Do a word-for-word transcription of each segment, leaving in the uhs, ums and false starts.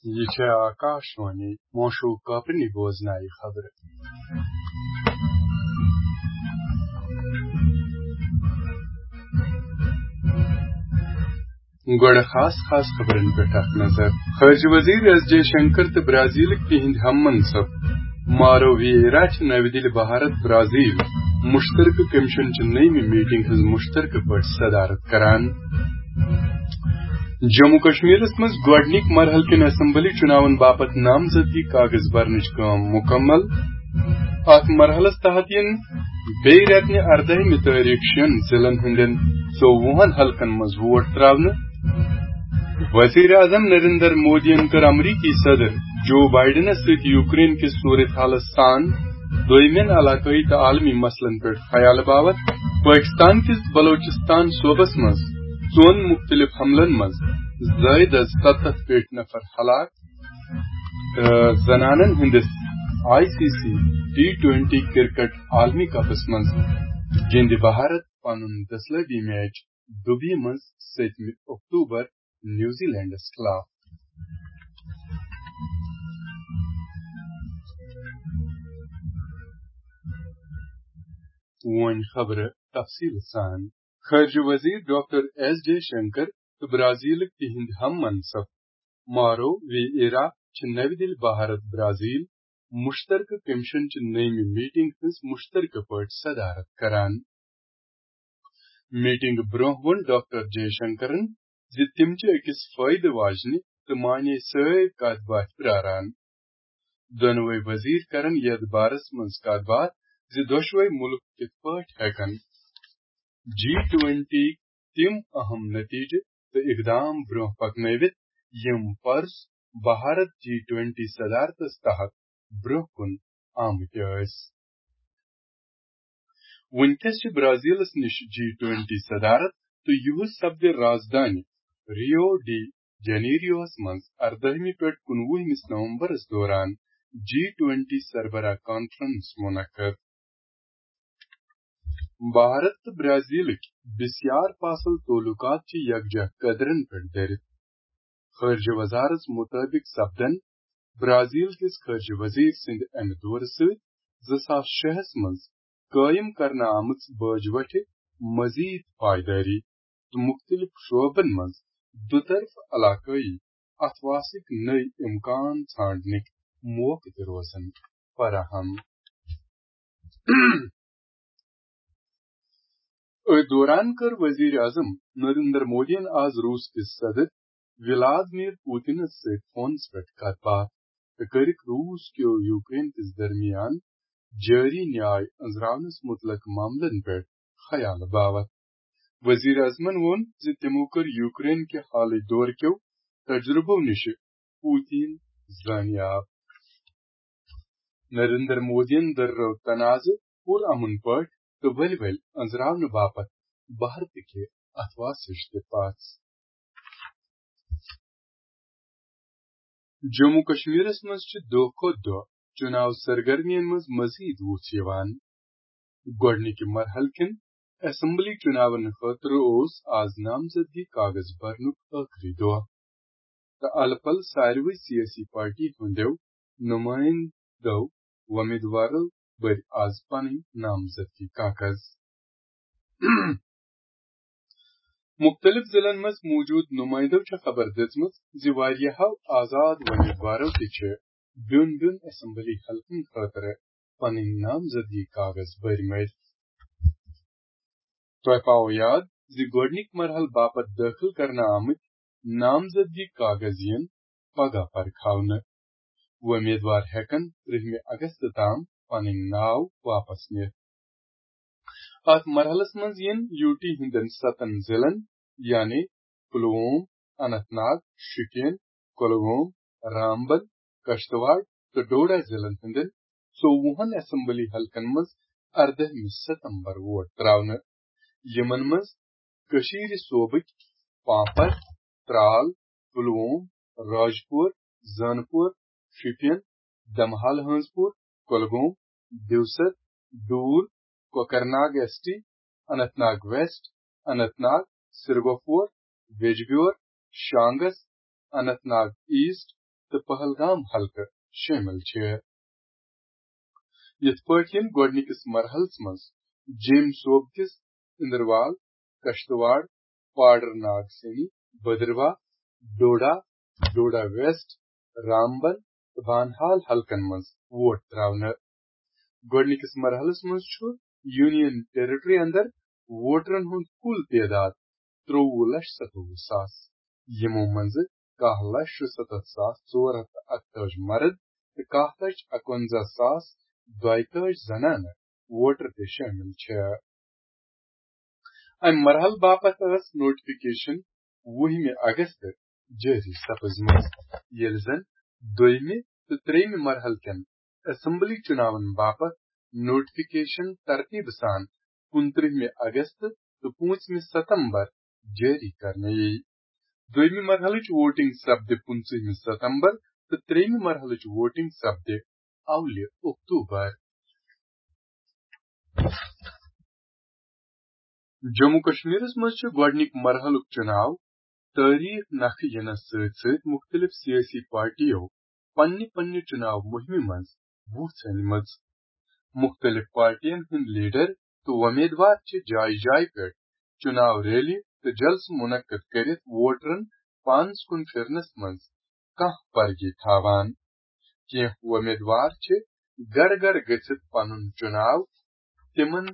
یہِ چھےٚ آکاشوانی مونشو کاپرنی بوزنایہِ خبرٕ۔ گۄڈٕ خاص خاص خبرن پٮ۪ٹھ اکھ نظر۔ خارجہ وزیر ایس جے شنکر تہٕ برازیلٕکۍ تِہنٛدۍ ہم منصب مارو ویئرا چھِ نوِ دِلہِ بھارت برازیل مشترکہٕ کمیشن چہِ نٔیمہِ میٹنگ ہٕنٛز مشترکہٕ پٲٹھۍ صدارت کران۔ جموں کشمیرس منٛز گۄڈٕنِکۍ مرحلہٕ کٮ۪ن اسمبلی چُناون باپتھ نامزدگی کاغذ برنٕچ کٲم مکمل۔ اتھ مرحلس تحت یِن بیٚیہِ رٮ۪تہٕ نہِ اردٲہمہِ تٲریخ شٮ۪ن ضلعن ہٕنٛدٮ۪ن ژوٚوُہن حلقن منٛز ووٹ تراونہٕ۔ وزیر اعظم نریندر مودیَن کٔر امریکی صدر جو بائیڈنس سۭتۍ یوکرین کِس صورت حالس سان دویمٮ۪ن علاقٲیی تہٕ عالمی مسلن پٮ۪ٹھ خیال باوتھ۔ پٲکستان کِس بلوچستان صوبس منٛز ژۄن مُختٔلِف حملن منٛز زٲیِد از ستتھ پیٹھۍ نفر ہلاک۔ تہٕ زنانن ہٕنٛدِس I C C T twenty cricket عالمی کپس منٛز گِنٛدِ بھارت پنُن دٔسلٲبی میچ دُبیہِ منٛز سٔتمہِ اکتوبر نیوزی لینڈس خلاف۔ وۄنۍ خبرٕ تفصیٖل سان۔ خارجہ وزیر ڈاکٹر ایس جے شنکر تہٕ برازیلٕکۍ تِہنٛدۍ ہم منصب مارو وی ایرا چھِ نوِ دِلہِ بھارت برازیل مشترکہٕ کمیشن چہِ نٔیمہِ میٹنگ ہٕنٛز مشترکہٕ پٲٹھۍ صدارت کران۔ میٹنگ برونٛہہ ووٚن ڈاکٹر جے شنکرن زِ تِم چھِ أکِس فٲیدٕ واجنہِ تہٕ معنی سٲرۍ کتھ باتھ پراران۔ دۄنوَے وزیر کرن یتھ بارس منٛز کتھ باتھ زِ دۄشوے مُلک کِتھ پٲٹھۍ ہٮ۪کن جی ٹوینٹی تِم اہم نتیجہٕ تہٕ اقدام برونٛہہ پکنٲوِتھ، یِم پرس بھارت جی ٹوینٹی صدارتس تحت برونٛہہ کُن آمٕتۍ ٲسۍ۔ وُنکیٚس چھِ برازیلس نِش جی ٹوینٹی صدارت تہٕ یِہُس سپدِ رازدانہِ ریو ڈی جنیریوہس منٛز اردٲہمہِ پٮ۪ٹھ کُنوُہمِس نومبرس دوران جی ٹوینٹی سربراہ کانفرنس منعقد۔ بھارت تہٕ برازیلٕکۍ بسیار فاصل تعلقات چھِ یکجا قدرن پٮ۪ٹھ دٔرِتھ۔ خارجہ وزارت مطٲبق سپدن برازیل کِس خارجہ وزیر سٕنٛدِ امہِ دورٕ سۭتۍ زٕ ساس شےٚ ہس منٛز قٲیِم کرنہٕ آمٕژ باج وٹھِ مزید پائیدٲری تہٕ مُختٔلِف شعبن منٛز دُطرفہٕ علاقٲیی اتھواسٕکۍ نٔوۍ امکان ژھانڈنٕکۍ موقعہٕ تہِ روزن فراہم۔ أتھۍ دوران کٔر وزیر اعظم نریندر مودیَن آز روس کِس صدر ولادمیر پوتنس سۭتۍ فونس پٮ۪ٹھ کتھ باتھ تہٕ کٔرٕکھ روس کیو یوکرین کِس درمیان جٲری نیاے أنٛزراونس مُتعلق معاملن پٮ۪ٹھ خیال باوتھ۔ وزیر اعظمن ووٚن زِ تِمو کٔر یوکرین کہِ حالٕکۍ دور کیو تجربو نِشہِ پوتین زٲنیاب۔ نریندر مودیَن دٔررٲو تنازٕ پُرامن پٲٹھۍ تہٕ ؤلۍ ؤلۍ أنٛزراونہٕ باپتھ بھارتٕکہِ اتھواسٕچ تہِ پژھ۔ جموں کشمیرس منٛز چھِ دۄہ کھۄتہٕ دۄہ چُناو سرگرمیَن منٛز مزید وُژھ یِوان۔ گۄڈٕنِکہِ مرحلہٕ کٮ۪ن اسمبلی چُناون خٲطرٕ اوس آز نامزدگی کاغذ برنُک ٲخری دۄہ۔ تہٕ الہٕ پلہٕ ساروٕے سیٲسی پارٹی ہٕنٛدیو نُمٲیِندو وۄمیدوارو بٔرۍ آز پنٕنۍ نامزدگی کاغذ۔ مُختٔلِف ضلعن منٛز موٗجوٗد نُمٲیِندو چھےٚ خبر دِژمٕژ زِ واریاہو آزاد وۄمیدوارو تہِ چھِ بیوٚن بیوٚن اسمبلی حلقن خٲطرٕ پنٕنۍ نامزدگی کاغذ بٔرۍ مٕتۍ۔ تۄہہِ پاوو یاد زِ گۄڈٕنِکۍ مرحلہٕ باپتھ دٲخل کرنہٕ آمٕتۍ نامزدگی کاغذ یِن پگاہ پرکھاونہٕ۔ وۄمیدوار ہٮ۪کن ترٛہمہِ اگست تام پنٕنۍ ناو واپس نِتھ۔ اتھ مرحلس منٛز یِن یوٗ ٹی ہٕنٛدٮ۪ن ستن ضلعن، یعنی پلووم، اننت ناگ، شوپین، کۄلگوم، رامبن، کشتواڑ تہٕ ڈوڈا ضلعن ہٕنٛدٮ۪ن ژوٚوُہن اسمبلی حلقن منٛز اردٲہمہِ ستمبر ووٹ تراونہٕ۔ یِمن منٛز کٔشیٖرِ صوبٕکۍ پانپر، ترال، پلووم، راجپور، زانپور، شوپین، دمحال ہٲنزپور، کۄلگوم، دیوسر، ڈوٗر، Kokernag S T, Anant Nag waste, Anant Nag, سرگوفور، Bijbehara, شانگس، Anant Nag East تہٕ پہلگام حلقہٕ شٲمِل چھِ۔ یِتھ پٲٹھۍ یِم گۄڈٕنِکِس مرحلَس منٛز جیٚمۍ صوبہٕ کِس اندروال، کشتواڑ، پاڈر ناگ سینی، بدرواہ، ڈوڈا، ڈوڈا ویسٹ، رامبن تہٕ بانہال حلقن منٛز ووٹ تراونہٕ۔ گۄڈٕنِکِس مرحلَس منٛز چھُ یونین ٹیریٹری اندر ووٹرن ہُنٛد کُل تعداد ترٛوٚوُہ لچھ ستووُہ ساس، یِمو منٛزٕ کاہ لچھ شُستتھ ساس ژور ہتھ تہٕ اکتٲجی مرد تہٕ کاہ لچھ اکونزہ ساس دۄیتٲجی زنانہٕ ووٹر تہِ شٲمِل چھِ۔ امہِ مرحلہٕ باپتھ ٲس نوٹیفکیشن وُہمہِ اگست جٲری سپٕزمٕژ، ییٚلہِ زن دوٚیمہِ تہٕ ترٛیٚیمہِ مرحلہٕ کٮ۪ن اسمبلی چُناون باپتھ نوٹیفکیشن ترتیٖبہٕ سان کُنترٛہمہِ اگست تہٕ پوٗنٛژمہِ ستمبر جٲری کرنہٕ یِیہِ۔ دوٚیمہِ مرحلٕچ ووٹنگ سپدِ پٕنٛژٕہمہِ ستمبر تہٕ ترٛیٚیمہِ مرحلٕچ ووٹنگ سپدِ اولہِ اکتوبر۔ جموں کشمیرس منٛز چھُ گۄڈٕنِکۍ مرحلُک چُناو تٲریخ نکھٕ یِنس سۭتۍ سۭتۍ مُختٔلِف سیٲسی پارٹیو پننہِ پننہِ چُناو مُہِمہِ منٛز وُژھ أنمٕژ۔ مُختٔلِف پارٹین ہٕنٛدۍ لیڈر تہٕ وۄمیدوار چھِ جایہِ جایہِ پٮ۪ٹھ چُناو ریلی تہٕ جلسہٕ مُنعقد کٔرِتھ ووٹرن پانَس کُن پھِرنَس منٛز کانٛہہ پرگی تھاوان۔ کینٛہہ وۄمیدوار چھِ گرٕ گرٕ گٔژھِتھ پنُن چُناو تِمن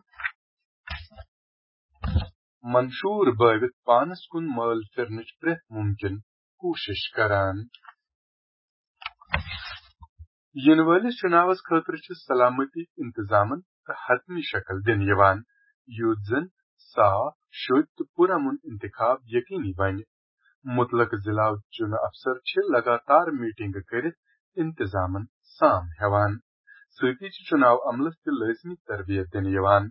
منشور بٲوِتھ پانَس کُن مٲل پھِرنٕچ پرٛٮ۪تھ مُمکِن کوٗشِش کران۔ یِنہٕ وٲلِس چُناوس خٲطرٕ چھِ سلامتی انتظامن تہٕ حتمی شکل دِنہٕ یِوان، یُتھ زن صاف، شوٚدۍ تہٕ پُرامن انتخاب یقینی بنہِ۔ مُتلقہٕ ضلعہٕ چُنہٕ افسر چھِ لگاتار میٹنگہٕ کٔرِتھ انتظامن سام ہٮ۪وان۔ سۭتی چھِ چُناو عملس تہِ لٲزمی تربیت دِنہٕ یِوان۔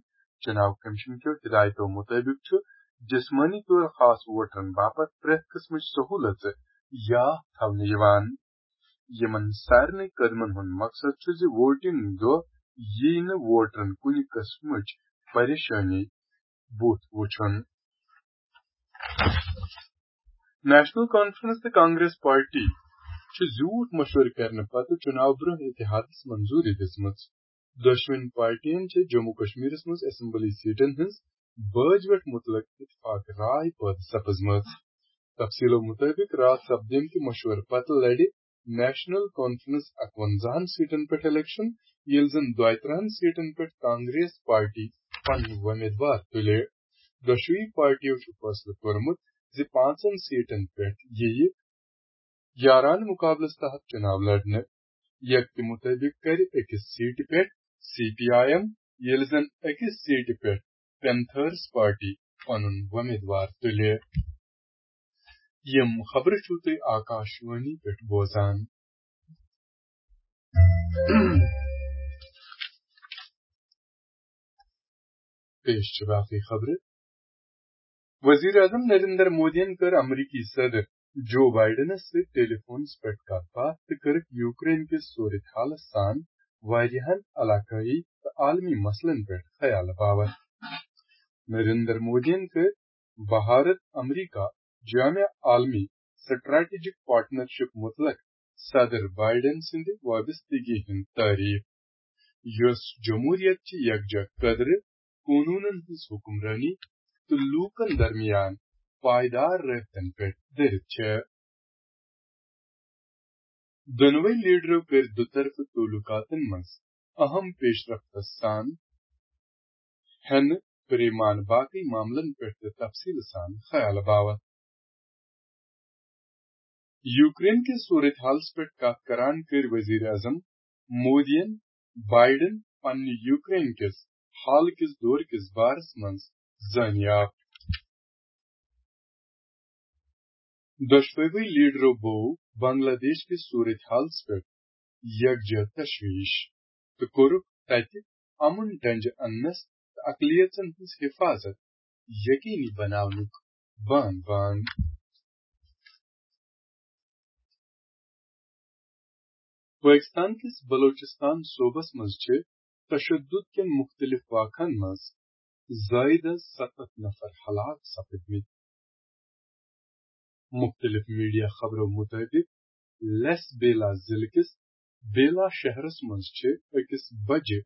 چُناو کمیشن کیو ہدایتو مُطٲبِق چھُ جسمٲنی طور خاص ووٹرن باپتھ پرٛٮ۪تھ قٕسمٕچ سہوٗلژٕ یاف تھاونہٕ یِوان۔ یِمن سارنٕے قدمن ہُنٛد مقصد چھُ زِ ووٹنگ دۄہ یِیہِ نہٕ ووٹرن کُنہِ قٕسمٕچ پریشٲنی بُتھ وُچھُن۔ نیشنل کانفرنس تہٕ کانگریس پارٹی چھِ زیوٗٹھ مشورٕ کرنہٕ پتہٕ چُناو برٛونٛہہ اتحادس منظوٗری دِژمٕژ۔ دۄشوٕنی پارٹین چھِ جموں کشمیرس منٛز اسمبلی سیٹن ہٕنٛز بٲج ویٹھ مُتعلق اتفاق راے پٲدٕ سپٕزمٕژ۔ تفصیلو مُطٲبِق راتھ سپدیمتہِ مشورٕ پتہٕ لڑِ نیشنل کانفرنس اکونزاہن سیٹن پٮ۪ٹھ الیکشن، ییٚلہِ زن دۄیہِ ترٕہن سیٹن پٮ۪ٹھ کانگریس پارٹی پنٕنۍ وۄمیدوار تُلہِ۔ دۄشوٕے پارٹیو چھُ فٲصلہٕ کوٚرمُت زِ پانٛژن سیٹن پٮ۪ٹھ یِیہِ یارانہٕ مُقابلس تحت چُناو لڑنہٕ۔ یکتہِ مُطٲبِق کرِ أکِس سیٹہِ پٮ۪ٹھ سی پی آی ایم، ییٚلہِ زن أکِس سیٹہِ پٮ۪ٹھ پینتھرز پارٹی پنُن وۄمیدوار تُلہِ۔ یِم خبرٕ چھِو تُہۍ آکاش وانی پٮ۪ٹھ بوزان۔ پیش چھِ باقٕے خبرٕ۔ وزیر اعظم نریندر مودیَن کٔر امریکی صدر جو بائیڈنَس سۭتۍ ٹیلی فونَس پٮ۪ٹھ کَتھ باتھ تہٕ کٔرٕکھ یوکرین کِس صورت حالَس سان واریاہَن علاقٲیی تہٕ عالمی مسلن پٮ۪ٹھ خیال باوت۔ نریندر مودیَن کٔر بھارت امریکہ جامع عالمی سٹریٹجک پارٹنرشپ متعلق صدر بائیڈن سٕنٛدِ وابستگی ہٕنٛز تعریف، یۄس جمہوریت چہِ یکجا قدرٕ، قونوٗنن ہٕنٛز حکمرٲنی تہٕ لوٗکن درمیان پائیدار رٲبطن پٮ۪ٹھ دٔرِتھ چھےٚ۔ دۄنوَے لیڈرو کٔرۍ دُطرفہٕ تعلقاتن منٛز اہم پیشرفتس سان ہٮ۪نہٕ پریمان باقٕے معاملن پٮ۪ٹھ تہِ تفصیٖل سان خیال باوت۔ یوکرین کِس صورت حالس پٮ۪ٹھ کتھ کران کٔرۍ وزیر اعظم مودیَن بائیڈن پننہِ یوکرین کِس حال کِس دور کِس بارس منٛز زٲنیاب۔ دۄشوٕے لیڈرو بوو بنگلہ دیش کِس صورت حالس پٮ۪ٹھ یکجا تشویش تہٕ کوٚرُکھ تتہِ امن ڈنجہِ اننس تہٕ اقلیژن ہٕنٛز حفاظت یقینی بناونُک بان بان۔ پٲکِستان کِس بلوچستان صوبس منٛز چھِ تشدد کٮ۪ن مُختٔلِف واقعن منٛز زٲیدٕ ستتھ نفر ہلاک سپٕدمٕتۍ۔ مُختٔلِف میڈیا خبرو مُطٲبِق، لیس بیلا ضلعہٕ کِس بیلا شہرس منٛز چھِ أکِس بجہِ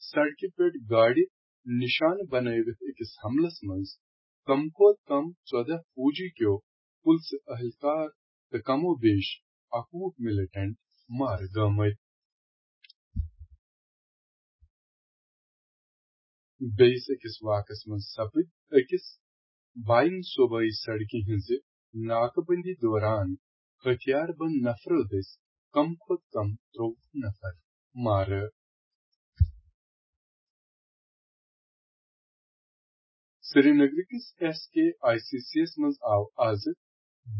سڑکہِ پٮ۪ٹھ گاڑِ نشانہٕ بنٲوِتھ أکِس حملس منٛز کم کھۄتہٕ کم ژۄداہ فوجی کیو پُلسہٕ اہلکار تہٕ کم و بیش اَکوُہ ملیٹنٹ مارٕ گٲمٕتۍ۔ بیٚیِس أکِس واقعس منٛز سپٕدۍ أکِس باین صوبٲئی سڑکہِ ہٕنٛزِ ناکہٕ بندی دوران ہتھیار بند نفرو دٔسۍ کم کھۄتہٕ کم ترٛۆوُہ نفر مارٕ۔ سرینگر کِس S K I C C یَس منٛز آو آز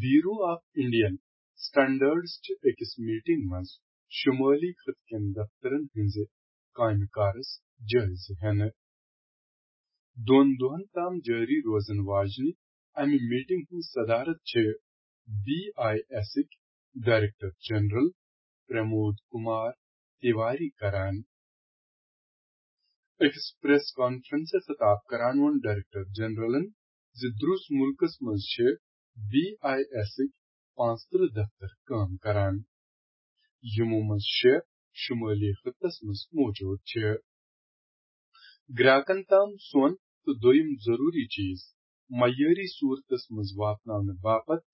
بیورو آف انڈین سٹینڈرڈز چہِ أکِس میٹنگ منٛز شمٲلی خطہٕ کٮ۪ن دفترن ہٕنٛزِ کامہِ کارس جٲیزٕ ہٮ۪نہٕ۔ دۄن دۄہن تام جٲری روزن واجنہِ امہِ میٹنگ ہٕنٛز صدارت چھِ بی آئی ایسٕکۍ ڈائریکٹر جنرل پرمود کمار تیواری کران۔ أکِس پریس کانفرنسس خطاب کران ووٚن ڈائریکٹر جنرلن زِ درُس مُلکس منٛز چھِ بی آئی ایسٕکۍ پانٛژترٕہ دفتر کٲم کران، یِمو منٛز شےٚ شمٲلی خطس منٛز موجود چھِ۔ گراکن تام سۄن تہٕ دوٚیِم ضروٗری چیز معیٲری صوٗرتس منٛز واتناونہٕ باپتھ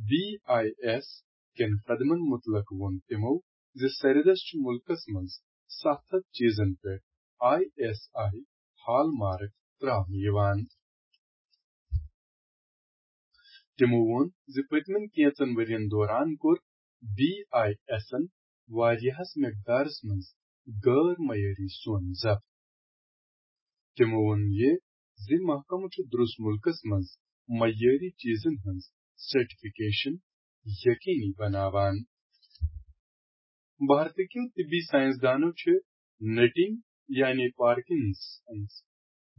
بی آئی ایس کٮ۪ن قدمن مُتعلق ووٚن تِمو زِ سرِدس چھُ مُلکس منٛز ستھ ہتھ چیزن پٮ۪ٹھ I S I hall mark ترٛاونہٕ یِوان۔ تِمو ووٚن زِ پٔتمٮ۪ن کینٛژن ؤرین دوران کوٚر بی آئی ایسن واریاہس مقدارس منٛز غٲر معیٲری سۄن ضبط۔ تِمو ووٚن یہِ زِ محکمہٕ چھُ درُس مُلکس منٛز معیٲری چیزن ہٕنٛز سرٹیفکیشن یقینی بناوان۔ بھارتٕکیو طبی سائنسدانو چھِ نٹنگ یعنی پارکنسنس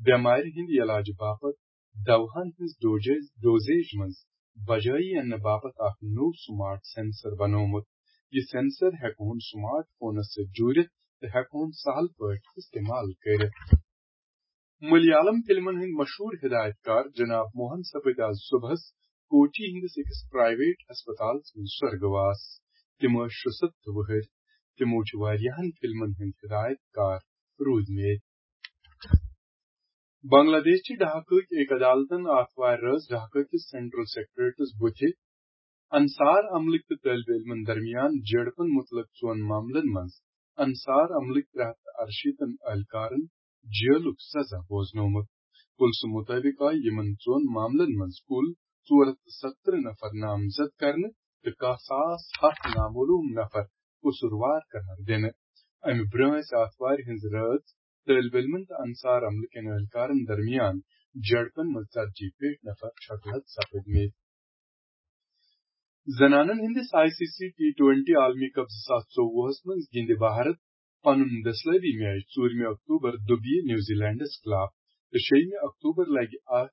بٮ۪مارِ ہٕنٛدِ علاجہٕ باپتھ دواہن ہٕنٛز ڈوجیج، ڈوزیج منٛز بجٲیی اننہٕ باپتھ اکھ نوٚو سمارٹ سینسر بنوومُت۔ یہِ سینسر ہٮ۪کہون سمارٹ فونس سۭتۍ جوٗڑِتھ تہٕ ہٮ۪کہون سہل پٲٹھۍ استعمال کٔرِتھ۔ ملیالم فلمن ہٕنٛدۍ مشہوٗر ہدایت کار جناب موہن سپٕدۍ آز صبحس کوچی ہٕنٛدِس أکِس پرائیویٹ ہسپتالس منٛز سرگواس۔ تِم ٲسۍ شُستہٕ وُہٕرۍ۔ تِمو چھِ واریاہن فلمن ہٕنٛدۍ ہدایت کار روٗدمٕتۍ۔ بنگلہ دیش چہِ ڈھاکہٕ کہِ أکۍ عدالتن آتھوارِ رٲژ ڈھاکہٕ کِس سینٹرل سیکرٹریٹس بُتھِ انصار عملٕکۍ تہٕ طٲلبہِ علمن درمیان جھڑپن مُتعلق ژۄن معاملن منٛز انصار عملٕکۍ ترٛےٚ ہتھ تہٕ ارشیٖتن اہلکارن جیلُک سزا بوزنومُت۔ پُلسہٕ مُطٲبِق آیہِ یِمن ژۄن معاملن منٛز کُل ژور ہتھ تہٕ ستترٕہ نفر نامزد کرنہٕ تہٕ کاہ ساس ہتھ نامعلوم نفر قصوٗروار قرار دِنہٕ۔ امہِ برٛونٛہہ ٲسۍ آتھوارِ ہٕنٛز رٲژ طٲلبہِ علمن تہٕ انصار عملہٕ کٮ۪ن اہلکارن درمیان جھڑپن منٛز ژتجی پیٹھ نفر چھۄکہٕ لد سپٕدمٕتۍ۔ زنانن ہٕنٛدِس I C C T twenty عالمی کپ زٕ ساس ژوٚوُہس منٛز گِنٛدِ بھارت پنُن دٔسلٲبی میچ ژوٗرمہِ اکتوبر دُبیہِ نیوزی لینڈس خلاف تہٕ شیٚیِمہِ اکتوبر لگہِ اتھ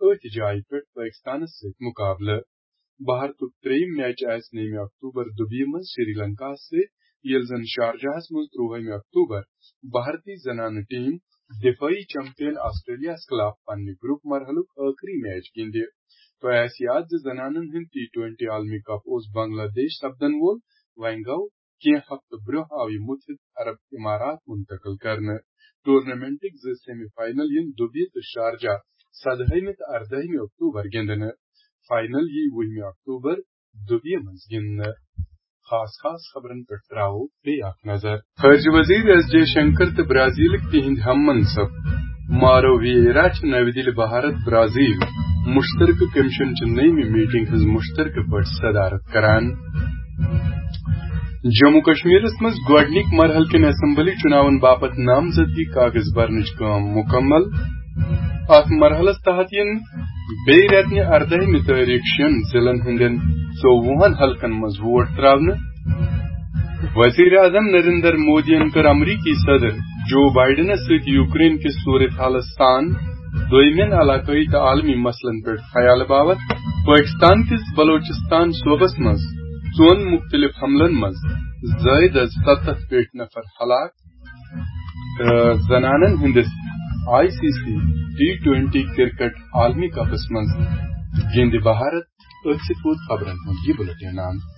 أتھۍ جایہِ پٮ۪ٹھ پٲکستانس سۭتۍ مقابلہٕ۔ بھارتُک ترٛیٚیِم میچ آسہِ نٔیمہِ اکتوبر دُبیہِ منٛز سری لنکاہس سۭتۍ، ییٚلہِ زن شارجاہس منٛز ترٛوہٲیمہِ اکتوبر بھارتی زنانہٕ ٹیم دفٲعی چیمپین آسٹریلیاہس خلاف پننہِ گروپ مرحلُک ٲخری میچ گِنٛدِ۔ تۄہہِ آسہِ یاد زِ زنانن ہُنٛد ٹی ٹوینٹی عالمی کپ اوس بنگلہ دیش سپدن وول۔ وۄنۍ گوٚو کینٛہہ ہفتہٕ برٛونٛہہ آو یہِ مُتحدٕ عرب امارات منتقل کرنہٕ۔ ٹورنامنٹٕکۍ زٕ سیمی فائنل یِن دُبیہِ تہٕ شارجہ سدہٲیمہِ تہٕ اردٲہمہِ اکتوبر گِنٛدنہٕ۔ فائنل یی وُہمہِ اکتوبر دُبیہِ منٛز گِنٛدنہٕ۔ خاص خاص خبرن پٮ۪ٹھ تراوو بیٚیہِ اکھ نظر۔ خارجہ وزیر ایس جے شنکر تہٕ برازیلٕکۍ تِہنٛدۍ ہم منصب مارو ویئرا چھِ نَوِ دِلہِ بھارت برازیل مشترکہٕ کمیشن چہِ نٔیمہِ میٹنگ ہٕنٛز مشترکہٕ پٲٹھۍ صدارت کران۔ جموں کشمیرس منٛز گۄڈٕنِکۍ مرحلہٕ کٮ۪ن اسمبلی چُناون باپتھ نامزدگی کاغذ برنٕچ کٲم مکمل۔ اتھ مرحلس تحت یِن بیٚیہِ رٮ۪تہٕ نہِ اردٲہمہِ تٲریخ شٮ۪ن ضلعن ہٕنٛدٮ۪ن ژوٚوُہن حلقن منٛز ووٹ تراونہٕ۔ وزیر اعظم نریندر مودیَن کٔر امریکی صدر جو بائیڈنَس سۭتۍ یوکرین کِس صورت حالَس سان دوٚیمٮ۪ن علاقٲیی تہٕ عالمی مسلن پٮ۪ٹھ خیال باوت۔ پٲکستان کِس بلوچستان صوبس منٛز ژۄن مُختٔلِف حملن منٛز زٲیِد از ستتھ پیٹھ نفر ہلاک۔ تہٕ زنانن ہٕنٛدِس I C C T twenty cricket عالمی کپس منٛز گِنٛدِ بھارت۔ أتھۍ سۭتۍ ووت خبرن ہُنٛد یہِ بُلٹن اند۔